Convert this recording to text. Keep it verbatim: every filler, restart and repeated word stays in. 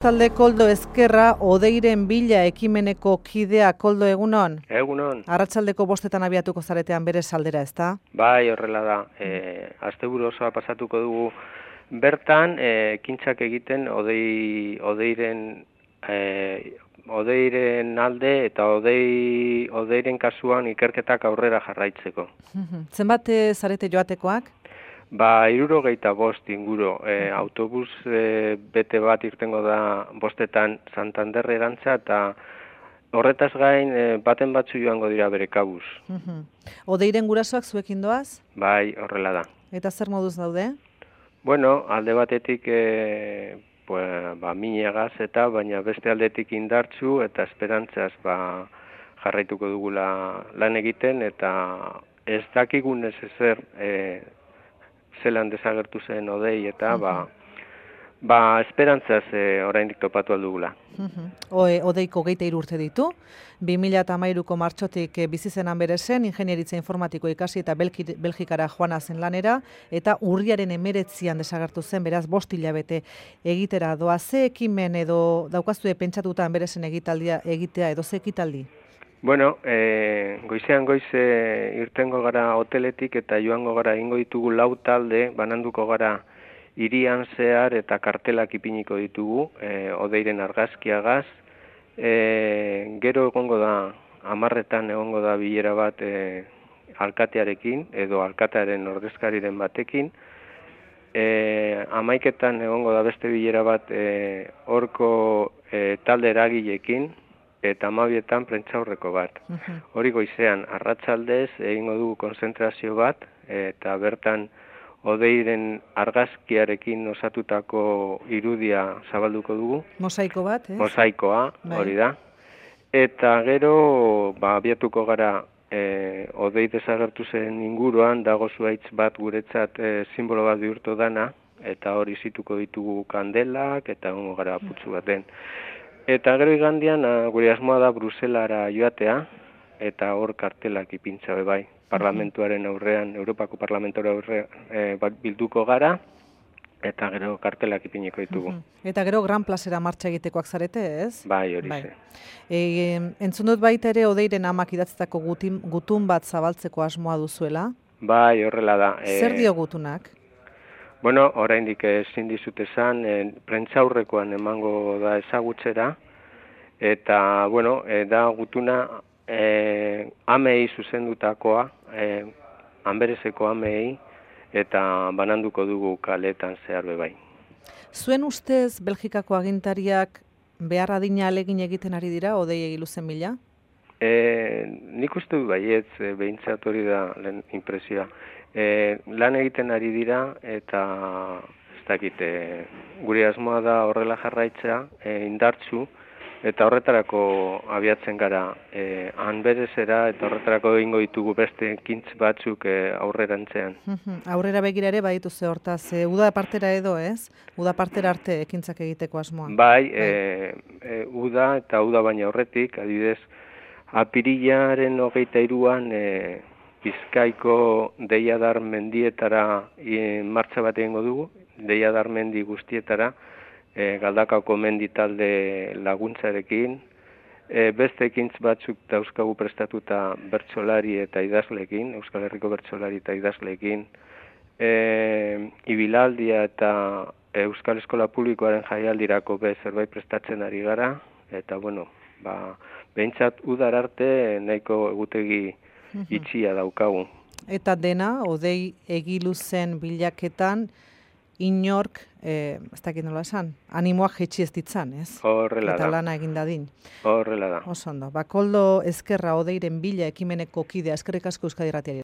Talde Koldo Ezkerra, Odeiren bila ekimeneko kidea. Koldo, egunon? Egunon. Arratsaldeko bostetan abiatuko zaretean bere saldera, ezta? Bai, horrela da. E, asteburu osoa pasatuko dugu bertan, e, ekintzak egiten Odei, Odeiren, e, Odeiren alde eta Odei, Odeiren kasuan ikerketak aurrera jarraitzeko. Zenbat zarete joatekoak? Ba, hirurogeita bost inguru, e, autobus e, bete bat irtengo da bostetan Santander erantza, eta horretaz gain e, baten batzu joango dira bere kabuz. Odeiren gurasoak zuekin doaz? Bai, horrela da. Eta zer moduz daude? Bueno, alde batetik e, pues, ba, minegaz eta, baina beste aldetik indartzu eta esperantzaz ba, jarraituko dugula lan egiten, eta ez dakigun ez ezer e, zelan desagertu zen Odei, eta ba, ba esperantzaz e, oraindik topatu aldugula. Odeiko hogeita hiru urte ditu, bi mila hamairuko martxotik bizi zenan bere zen, ingenieritza informatiko ikasi eta Belgikara joana zen lanera, eta urriaren hemeretzian desagertu zen, beraz bost hilabete egitera doa. Ze ekimen edo daukazue pentsatutan bere zen egitaldia egitea edo ze ekitaldi? Bueno, e, goizean goize irtengo gara hoteletik eta joango gara ingo ditugu lau talde, bananduko gara hirian zehar eta kartelak ipiniko ditugu, e, Odeiren argazkiagaz. E, gero egongo da, hamarretan egongo da bilera bat e, alkatearekin edo alkatearen ordezkariren batekin. E, hamaiketan egongo da beste bilera bat e, horko e, talde eragileekin, eta hamabietan prentsaurreko bat. Hori goizean, arratsaldez egingo dugu konzentrazio bat, eta bertan Odeiren argazkiarekin osatutako irudia zabalduko dugu. Mosaiko bat, ez? Mosaikoa, hori da. Eta gero, ba, abiatuko gara e, Odei desagertu zen inguruan, dago zuhaitz bat guretzat e, simbolo bat bihurtu dana, eta hori zituko ditugu kandelak, eta egongo gara putzu baten. Eta gero igandian, gure asmoa da Bruselara joatea, eta hor kartelak ipintza bai, parlamentuaren aurrean, Europako parlamentuaren aurrean e, bilduko gara, eta gero kartelak ipiniko ditugu. Eta gero Gran Plazera martxa egitekoak zarete, ez? Bai, hori ze. E, entzun dut baita ere Odeiren amak idatzitako gutun bat zabaltzeko asmoa duzuela? Bai, horrela da. E, Zer dio gutunak? Bueno, oraindik ezin dizut esan, e, prentsaurrekoan emango da ezagutzera, eta, bueno, e, da gutuna e, amei zuzendutakoa, e, Anbereseko amei, eta bananduko dugu kaletan zehar bebai. Zuen ustez, Belgikako agintariak behar adina alegin egiten ari dira, Odei egiluzen bila? E, nik uste du baietz, e, behintzat hori da lehen impresioa. E, lan egiten ari dira, eta ez dakit, e, gure asmoa da horrela jarraitzea, e, indartzu, eta horretarako abiatzen gara e, Anberesera, eta horretarako egingo ditugu beste ekintz batzuk e, aurrerantzean. Aurrera begira ere baditu ze hortaz, e, uda partera edo, ez? Uda partera arte ekintzak egiteko asmoa. Bai, e, e, uda eta uda baina horretik, adibidez, apirilaren hogeita hiruan e, Bizkaiko Deiadar mendietara e, martxa bat egingo dugu, Deiadar mendi guztietara, e, Galdakako mendi talde laguntzarekin, e, beste ekintz batzuk dauzkagu prestatuta bertsolari eta idazleekin, Euskal Herriko bertsolari eta idazleekin, e, ibilaldia eta Euskal Eskola Publikoaren jaialdirako be zerbait prestatzen ari gara, eta bueno, ba, behintzat udar arte nahiko egutegi itxia daukagu. Eta dena, Odei egiluzen bilaketan, inork, e, ez dakit nola esan, animoak jetxi ez ditzan, ez? Horrela da. Eta lana egin dadin. Horrela da. Oso ondo. Ba, Koldo Ezkerra, Odeiren bila ekimeneko kidea, eskerrik asko Euskadi Irratiari.